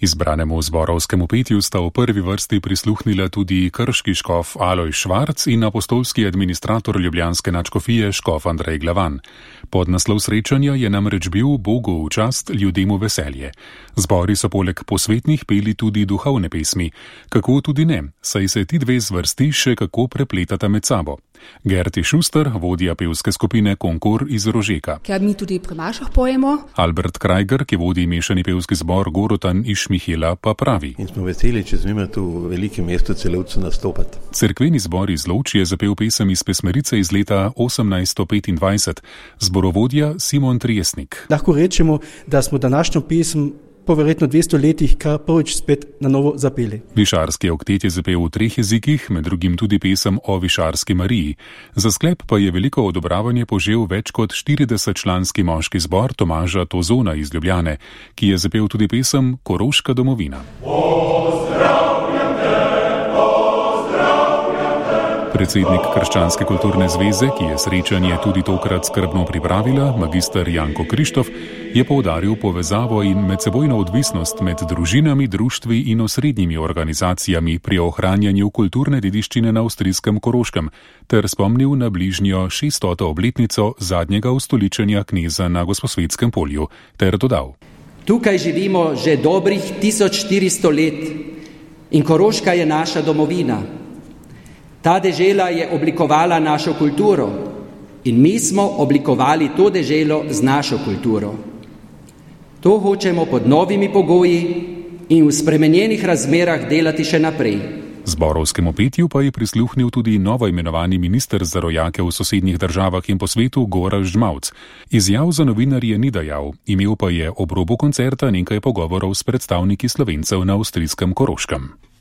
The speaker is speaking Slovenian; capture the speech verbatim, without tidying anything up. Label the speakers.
Speaker 1: Izbranemu zborovskemu petju sta v prvi vrsti prisluhnila tudi krški škof Alojz Švarc in apostolski administrator ljubljanske nadškofije škof Andrej Glavan. Podnaslov srečanja je namreč bil Bogu v čast, ljudem v veselje. Zbori so poleg posvetnih peli tudi duhovne pesmi. Kako tudi ne, saj se ti dve zvrsti še kako prepletata med sabo. Gerti Šuster, vodja pevske skupine Konkor iz Rožeka.
Speaker 2: Ker mi tudi pri mašah pojemo.
Speaker 1: Albert Krajger, ki vodi mešani pevski zbor Gorotan iz Šmihela, pa pravi.
Speaker 3: In smo veseli, če smemo tu v velikem mestu Celovcu nastopati.
Speaker 1: Cerkveni zbor iz Lovč je zapel pesem iz pesmerice iz leta osemnajststo petindvajset. Zborovodja Simon Triesnik.
Speaker 4: Lahko rečemo, da smo današnjo pesem po verjetno dvesto letih kar prvič spet na novo zapeli.
Speaker 1: Višarski oktet je zapel v treh jezikih, med drugim tudi pesem o Višarski Mariji. Za sklep pa je veliko odobravanje požel več kot štiridesetčlanski moški zbor Tomaža Tozona iz Ljubljane, ki je zapel tudi pesem Koroška domovina. Predsednik Krščanske kulturne zveze, ki je srečanje tudi tokrat skrbno pripravila, magister Janko Krištof, je poudaril povezavo in medsebojno odvisnost med družinami, društvi in osrednjimi organizacijami pri ohranjanju kulturne dediščine na avstrijskem Koroškem ter spomnil na bližnjo šeststoto obletnico zadnjega ustoličenja kneza na Gosposvetskem polju ter dodal.
Speaker 5: Tukaj živimo že dobrih tisoč štiristo let in Koroška je naša domovina. Ta dežela je oblikovala našo kulturo in mi smo oblikovali to deželo z našo kulturo. To hočemo pod novimi pogoji in v spremenjenih razmerah delati še naprej.
Speaker 1: Zborovskemu petju pa je prisluhnil tudi novo imenovani minister za rojake v sosednjih državah in po svetu Gorazd Žmavc. Izjav za novinarje ni dajal, imel pa je ob robu koncerta nekaj pogovorov s predstavniki Slovencev na avstrijskem Koroškem.